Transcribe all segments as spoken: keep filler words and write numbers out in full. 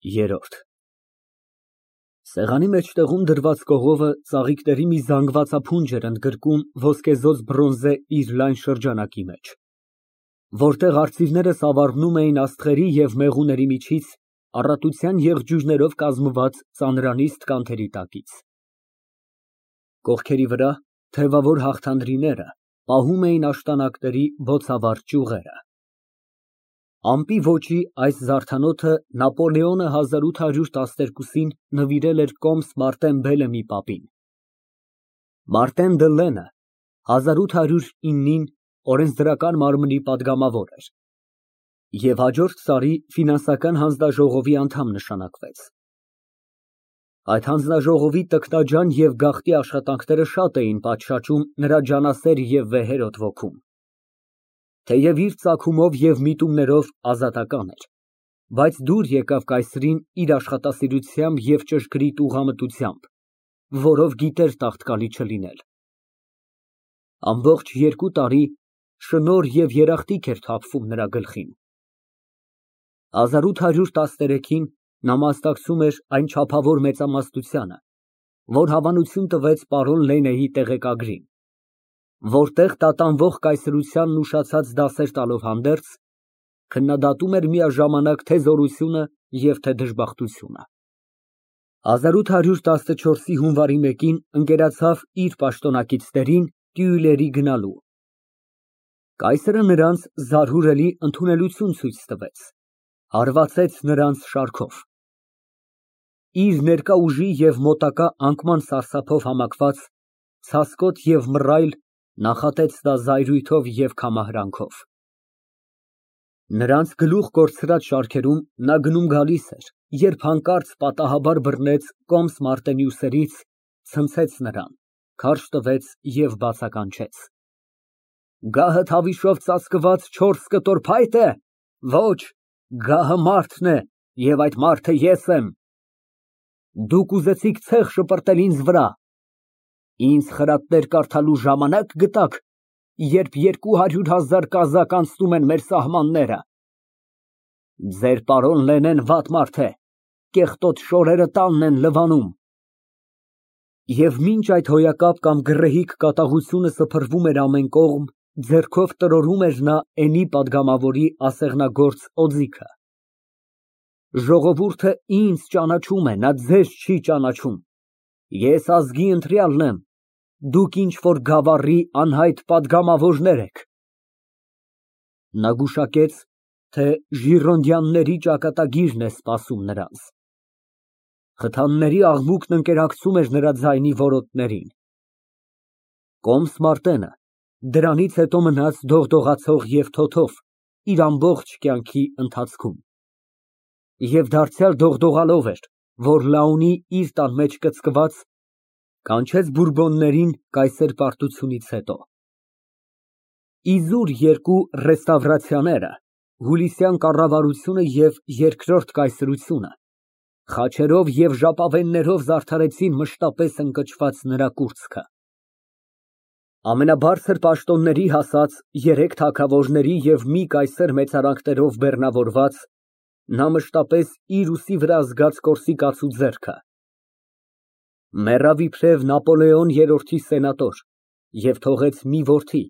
Երրորդ Սեղանի մեջտեղում դրված կողովը ծաղիկների մի զանգվածափունջ էր ընդգրկում ոսկեզօծ բրոնզե իր լայն շրջանակի մեջ, որտեղ արծիվները սավառնում էին աստղերի և մեղուների միջից առատության եղջյուրներով կազմված ծանրանիստ կանթերի տակից։ Կողքերի վրա թևավոր հաղթանդրիները պահում էին աշտանակների բոցավառ ճյուղերը։ Ամպի ոճի այս զարդանոթը Նապոլեոնը հազար ութ հարյուր տասներկուսին նվիրել էր կոմս Մարտեն Բելեմի պապին։ Մարտեն դը Լենը հազար ութ հարյուր իննին օրենսդրական մարմնի պատգամավոր էր և հաջորդ տարի ֆինանսական հանձնաժողովի անդամ նշանակվեց։ Այդ հանձնաժողովի տքնաջան և գաղտնի աշխատանքները շատ էին պատշաճում նրա ջանասեր և վեհերաս ոգուն։ Թեև իր ծագումով և միտումներով ազատական էր, բայց դուր եկավ կայսրին իր աշխատասիրությամբ և ճշգրիտ ուղղամտությամբ, որով գիտեր տաղտկալի չլինել։ Ամբողջ երկու տարի շնորհ և երախտիկ էր թափվում նրա գլխին։ հազար ութ հարյուր տասներեքին նա մասնակցում էր այն չափավոր մեծամասնությանը, որ հավանություն տվեց պարոն Լենեի տեղեկագրին, որտեղ տատանվող կայսրությանն ուշացած դասեր տալով հանդերձ, քննադատում էր միաժամանակ թե զորությունը և թե դժբախտությունը։ հազար ութ հարյուր տասնչորսի հունվարի մեկին ընկերացավ իր պաշտոնակիցներին Տյուիլերի գնալու։ Կայսրը նրանց զարհուրելի ընդունելություն ցույց տվեց, հարվածեց նրանց շարքով։ Իր ներկա ուժի և մոտակա անկման սարսափով համակված, ցասկոտ և մռայլ նախատեց նա զայրույթով և քամահրանքով։ Նրանց գլուխ կորցրած շարքերում նա գնում֊գալիս էր, երբ հանկարծ պատահաբար բռնեց կոմս Մարտենի ուսերից, ցնցեց նրան, քարշ տվեց և բացականչեց։ Գահդ հավիշով ծածկված չորս կտոր փայտ է։ Ոչ, գահը մարդն է, և այդ մարդը ես եմ։ Դուք ուզեցիք ցեխ շպրտել ինձ վրա, ինձ խրատներ կարդալու ժամանակ գտաք, երբ երկու հարյուր հազար կազակ անցնում են մեր սահմանները։ Ձեր պարոն Լենեն վատ մարդ է, կեղտոտ շորերը տանն են լվանում։ Եվ մինչ այդ հոյակապ կամ գռեհիկ կատաղությունը սփռվում էր ամեն կողմ, ձեռքով տրորում էր նա Էնի պատգամավորի ասեղնագործ օձիքը։ Ժողովուրդը ինձ ճանաչում է, նա ձեզ չի ճանաչում։ Ես ազգի ընտրյալն եմ, դուք ինչ֊որ գավառի անհայտ պատգամավորներ եք։ (Նա գուշակեց, թե ժիրոնդյանների ճակատագիրն է սպասում նրանց։ Խթանների աղմուկն ընկերակցում էր նրա ձայնի որոտներին)։ Կոմս Մարտենը դրանից հետո մնաց դողդողացող և թոթով իր ամբողջ կյանքի ընթացքում, և դարձյալ դողդողալով էր, որ Լաունի իր տան մեջ կծկված, կանչեց բուրբոններին կայսեր պարտությունից հետո։ Իզուր երկու ռեստավրացիաները, Հուլիսյան կառավարությունը և Երկրորդ կայսրությունը, խաչերով և ժապավեններով զարդարեցին մշտապես ընկճված նրա կուրծքը։ Ամենաբարձր պաշտոնների հասած երեք թագավորների և մի կայսր մեծարանքներով բեռնավորված, նա մշտապես իր ուսի վրա զգաց կորսիկացու ձեռքը։ Մեռավ իբրև Նապոլեոն երրորդի սենատոր և թողեց մի որդի,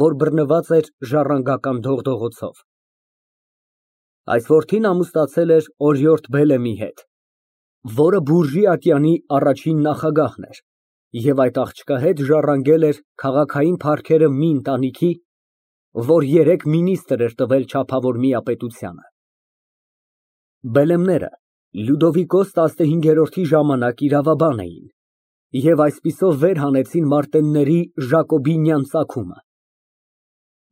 որ բռնված էր ժառանգական դողդողոցով։ Այս որդին ամուսնացել էր օրիորդ Բելեմի հետ, որը բուրժի ատյանի առաջին նախագահն էր և այդ աղջկա հետ ժառանգել էր քաղաքային փառքերը մի ընտանիքի, որ երեք մինիստրեր էր տվել չափավոր միապետությանը։ Բելեմները Լյուդովիկոս տասնհինգերորդի ժամանակ իրավաբան էին և այսպիսով վեր հանեցին մարտենների ժակոբինյան ծագումը։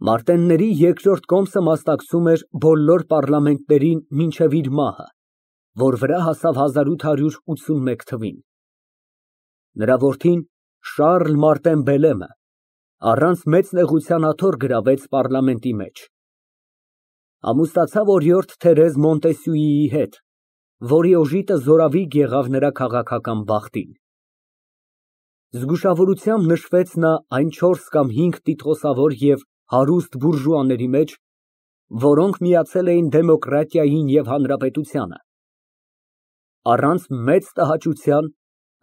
Մարտենների երկրորդ կոմսը մասնակցում էր բոլոր պառլամենտներին մինչև իր մահը, որ վրա հասավ հազար ութ հարյուր ութսունմեկ թվին։ Նրա որդին Շառլ Մարտեն Բելեմը առանց մեծ նեղության աթոռ գրավեց պառլամենտի մեջ։ Ամուսնացավ օրիորդ Թերեզ Մոնտեսյուիի հետ, որի օժիտը զորավիգ եղավ նրա քաղաքական բախտին։ Զգուշավորությամբ նշվեց նա այն չորս կամ հինգ տիտղոսավոր և հարուստ բուրժուաների մեջ, որոնք միացել էին դեմոկրատիային և հանրապետությանը, առանց մեծ տհաճության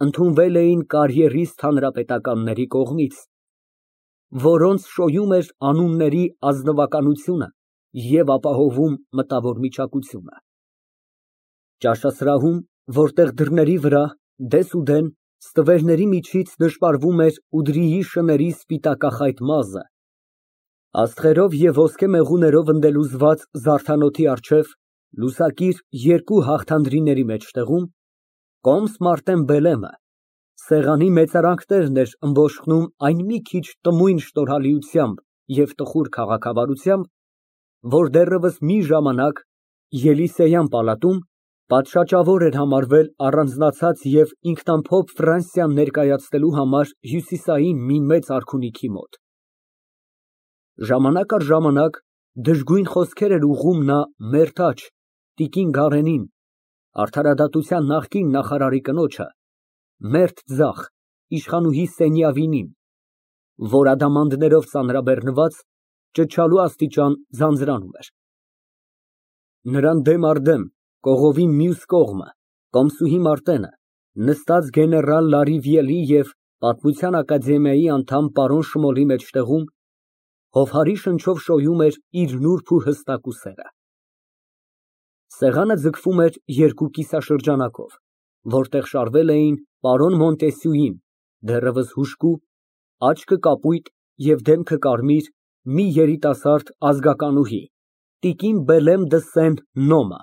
ընդունվել էին կարիերիստ հանրապետականների կողմից, որոնց շոյում էր անունների ազնվականությունը և ապահովում մտավոր միճակությունը։ Ճաշասրահում, որտեղ դռների վրա դեսուդեն ստվերների միջից նշմարվում էր Ուդրիի շների սպիտակախայտ մազը, աստղերով և ոսկե մեղուներով ընդելուզված զարդանոթի առջև լուսակիր երկու հաղթանդրիների մեջտեղում, կոմս Մարտեն Բելեմը սեղանի մեծարանքներն էր ըմբոշխնում այն մի քիչ տմույն շնորհալիությամբ և տխուր քաղաքավարությամբ, որ դեռևս մի ժամանակ Ելիսեյան պալատում պատշաճավոր էր համարվել առանձնացած և ինքնամփոփ Ֆրանսիան ներկայացնելու համար հյուսիսային մի մեծ արքունիքի մոտ։ Ժամանակ առ ժամանակ դժգույն խոսքեր էր ուղղում նա մերթաջ տիկին Գարենին, արդարադատության նախկին նախարարի կնոջը, մերթ ձախ իշխանուհի Սենյավինին, որ ադամանդներով ծանրաբեռնված ճչալու աստիճան ձանձրանում էր։ Նրան դեմ առ դեմ, կողովի մյուս կողմը, կոմսուհի Մարտենը, նստած գեներալ Լարիվիելի և պատմության ակադեմիայի անդամ պարոն Շմոլի մեջտեղում, հովհարի շնչով շոյում էր իր նուրբ ու հստակ ուսերը։ Սեղանը ձգվում էր երկու կիսաշրջանակով, որտեղ շարվել էին պարոն Մոնտեսյուին, դեռևս հուժկու, աչքը կապույտ և դեմքը կարմիր, մի երիտասարդ ազգականուհի, տիկին Բելեմ դը Սեն֊Նոմը,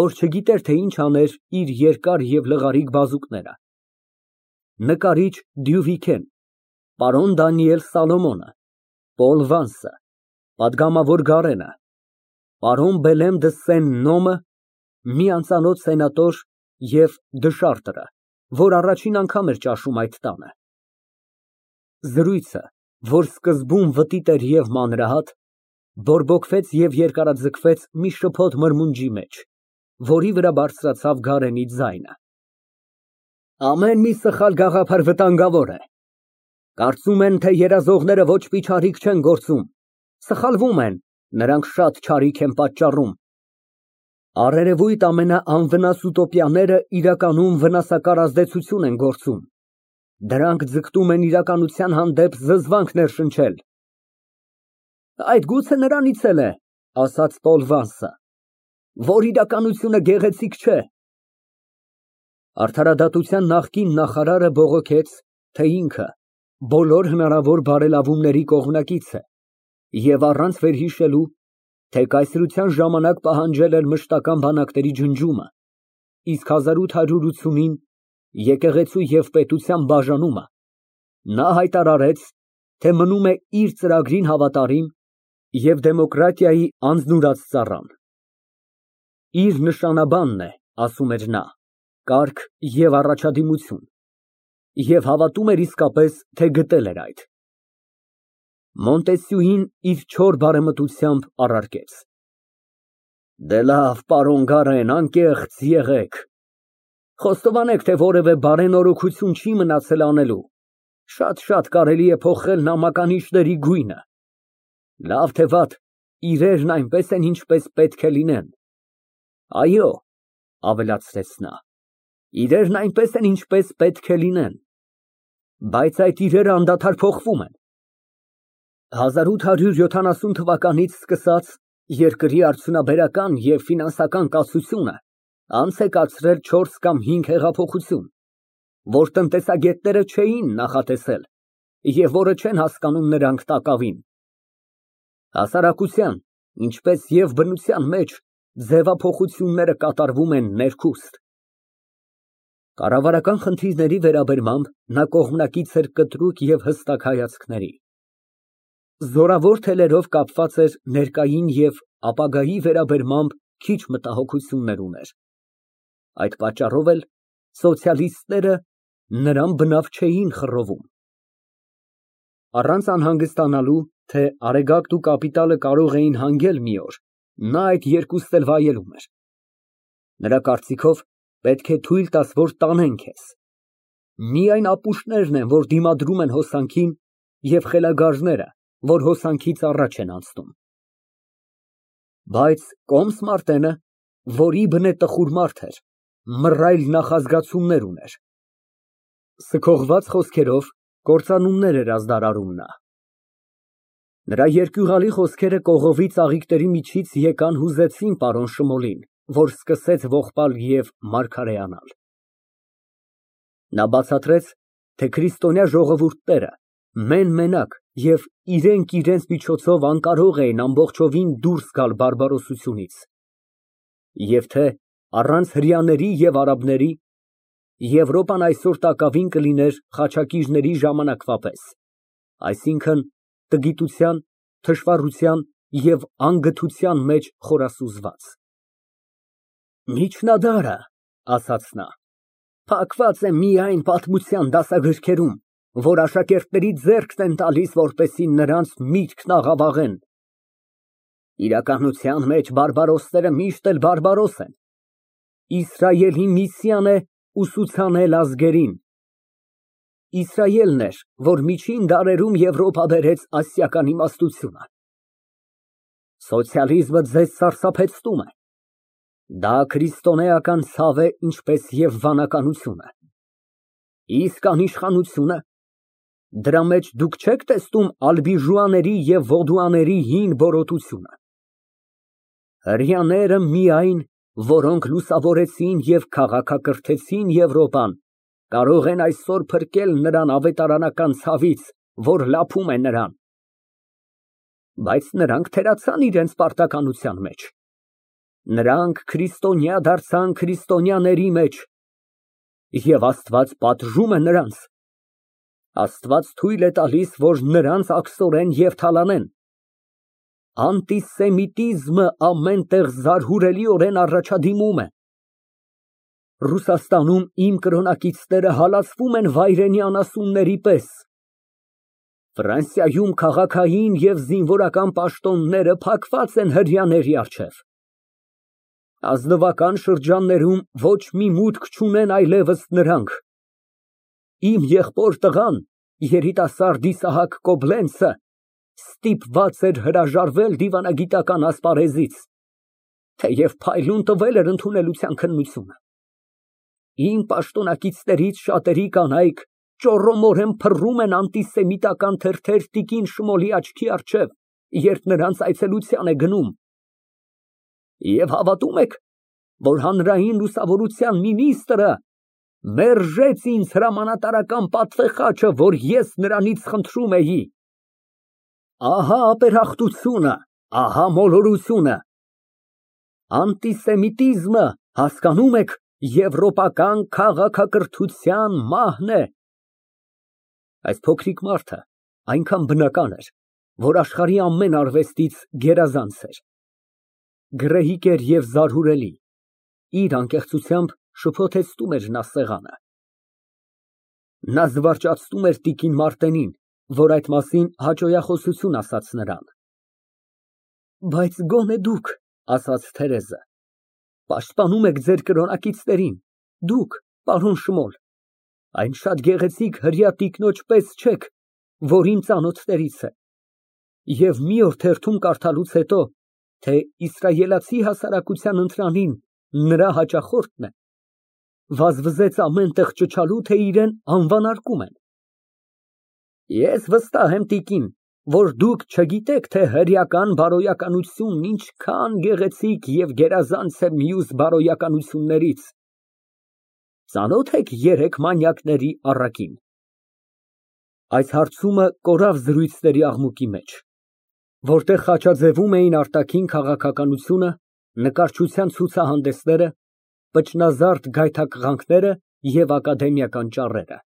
որ չգիտեր, թե ինչ աներ իր երկար և լղարիկ բազուկները, նկարիչ Դյուվիքեն, պարոն Դանիել Սալոմոնը, Պոլ Վանսը, պատգամավոր Գարենը, պարոն Բելեմ դը Սեն֊Նոմը, մի անծանոթ սենատոր և Դշարտրը, որ առաջին անգամ էր ճաշում այդ տանը։ Զրույցը, որ սկզբում վտիտ էր և մանրահատ, բորբոքվեց և երկարաձգվեց մի շփոթ մրմունջի մեջ, որի վրա բարձրացավ Գարենի ձայնը։ Ամեն մի սխալ գաղափար վտանգավոր է։ Կարծում են, թե երազողները ոչ մի չարիք չեն գործում, սխալվում են, նրանք շատ չարիք են պատճառում։ Առերևույթ ամենաանվնաս ուտոպիաները իրականում վնասակար ազդեցություն են գործում, դրանք ձգտում են իրականության հանդեպ զզվանք ներշնչել։ Այդ գուցե նրանից էլ է, ասաց Պոլ Վանսը, որ իրականությունը գեղեցիկ չէ։ Արդարադատության նախկին նախարարը բողոքեց, թե ինքը բոլոր հնարավոր բարելավումների կողմնակից է և առանց վերհիշելու, թե կայսրության ժամանակ պահանջել էր մշտական բանակների ջնջումը, իսկ հազար ութ հարյուր ութսունին եկեղեցու և պետության բաժանումը, նա հայտարարեց, թե մնում է իր ծրագրին հավատարիմ և դեմոկրատիայի անձնուրաց ծառան։ Իր նշանաբանն է, ասում էր նա, կարգ և առաջադիմություն, և հավատում էր իսկապես, թե գտել էր այդ։ Մոնտեսյուին իր չոր բարեմտությամբ առարկեց. Դե լավ, պարոն Գարեն, անկեղծ եղեք, խոստովանեք, թե որևէ բարենորոգություն չի մնացել անելու, շատ֊շատ կարելի է փոխել նամականիշների գույնը, լավ թե վատ, իրերն այնպես են, ինչպես պետք է լինեն, այո, ավելացրեց նա, իրերն այնպես են, ինչպես պետք է լինեն, բայց այդ իրերը անդադար փոխվում են։ հազար ութ հարյուր յոթանասուն թվականից սկսած երկրի արդյունաբերական և ֆինանսական կացությունը անց է կացրել չորս կամ հինգ հեղափոխություն, որ տնտեսագետները չէին նախատեսել և որը չեն հասկանում նրանք տակավին։ Հասարակության, ինչպես և բնության մեջ ձևափոխությունները կատարվում են ներքուստ։ Կառավարական խնդիրների վերաբերմամբ նա կողմնակից էր կտրուկ և հստակ հայացքների։ Զորավոր թելերով կապված էր ներկային և ապագայի վերաբերմամբ քիչ մտահոգություններ ուներ։ Այդ պատճառով էլ սոցիալիստները նրան բնավ չէին խռովում։ Առանց անհանգստանալու, թե Արեգակտն ու կապիտալը կարող էին հանգել մի օր, նա այդ երկուսն էլ վայելում էր։ Նրա կարծիքով, պետք է թույլ տաս, որ տանեն քեզ։ Միայն ապուշներն են, որ դիմադրում են հոսանքին, և խելագարները, որ հոսանքից առաջ են անցնում։ Բայց կոմս Մարտենը, որի բնե տխուր մարդ էր, մռայլ նախազգացումներ ուներ։ Սքողված խոսքերով կործանումներ էր ազդարարում նա։ Նրա երկյուղալի խոսքերը կողովի ծաղիկների միջից եկան հուզեցին պարոն Շմոլին, որ սկսեց ողբալ և մարգարեանալ։ Նա բացատրեց, թե քրիստոնյա ժողովուրդները մեն֊մենակ և իրենք իրենց միջոցով անկարող էին ամբողջովին դուրս գալ բարբարոսությունից, և թե առանց հրեաների և արաբների Եվրոպան այսօր տակավին կլիներ խաչակիրների ժամանակվա պես, այսինքն՝ տգիտության, թշվառության և անգթության մեջ խորասուզված։ Միջնադարը, ասաց նա, փակված է միայն պատմության դասագրքերում, որ աշակերտների ձեռքն են տալիս, որպեսզի նրանց միտքն աղավաղեն։ Իրականության մեջ բարբարոսները միշտ էլ բարբարոս են։ Իսրայելի միսիան է ուսուցանել ազգերին։ Իսրայելն էր, որ միջին դարերում Եվրոպա բերեց ասիական իմաստությունը։ Սոցիալիզմը ձեզ սարսափեցնում է։ Դա քրիստոնեական ցավ է, ինչպես և վանականությունը։ Իսկ անիշխանությո՞ւնը։ Դրա մեջ դուք չե՞ք տեսնում ալբիժուաների և վոդուաների հին բորոտությունը։ Հրեաները միայն, որոնք լուսավորեցին և քաղաքակրթեցին Եվրոպան, կարող են այսօր փրկել նրան ավետարանական ցավից, որ լափում է նրան։ Բայց նրանք թերացան իրենց պարտականության մեջ։ Նրանք քրիստոնյա դարձան քրիստոնյաների մեջ, և Աստված պատժում է նրանց։ Աստված թույլ է տալիս, որ նրանց աքսորեն և թալանեն։ Անտիսեմիտիզմը ամեն տեղ զարհուրելիորեն առաջադիմում է։ Ռուսաստանում իմ կրոնակիցները հալածվում են վայրենի անասունների պես։ Ֆրանսիայում քաղաքային և զինվորական պաշտոնները փակված են հրեաների առջև։ Ազնվական շրջաններում ոչ մի մուտք չունեն այլևս նրանք։ Իմ եղբոր տղան, երիտասարդ Իսահակ Կոբլենցը, ստիպված էր հրաժարվել դիվանագիտական ասպարեզից, թեև փայլուն տվել էր ընդունելության քննությունը։ Իմ պաշտոնակիցներից շատերի կանայք ճոռոմորեն փռում են անտիսեմիտական թերթեր տիկին Շմոլի աչքի առջև, երբ նրանց այցելության է գնում։ Եվ հավատո՞ւմ եք, որ հանրային լուսավորության մինիստրը մերժեց ինձ հրամանատարական պատվეხաչը, որ ես նրանից խնդրում էի։ Ահա ապերախտությունը, ահա մոլորությունը։ Անտիսեմիտիզմը, հասկանում եք, եվրոպական քաղաքակրթության մահն է։ Այս փոքրիկ մարդը այնքան բնական էր, որ աշխարհի ամեն արվեստից գերազանց էր։ Գռեհիկ էր և զարհուրելի, իր անկեղծությամբ շփոթեցնում էր նա սեղանը։ Նա զվարճացնում էր տիկին Մարտենին, որ այդ մասին հաճոյախոսություն ասաց նրան։ Բայց գոնե դուք, ասաց Թերեզը, պաշտպանում եք ձեր կրոնակիցներին, դուք, պարոն Շմոլ, այն շատ գեղեցիկ հրեա տիկնոջ պես չեք, որ իմ ծանոթներից է, և մի օր թերթում կարդալուց հետո, թե իսրայելացի հասարակության ընտրանին նրա հաճախորդն է, վազվզեց ամեն տեղ ճչալու, թե իրան անվանարկում են։ Ես վստահ եմ, տիկին, որ դուք չգիտեք, թե հրեական բարոյականությունն ինչքան գեղեցիկ և գերազանց է մյուս բարոյականություններից։ Ծանո՞թ եք երեք մանյակների առակին։ Այս հարցումը կորավ զրույցների աղմուկի մեջ, որտեղ խաչաձևում էին արտաքին քաղաքականությունը, նկարչության ցուցահանդեսները, պճնազարդ գայթակղանքները և ակադեմիական ճառերը։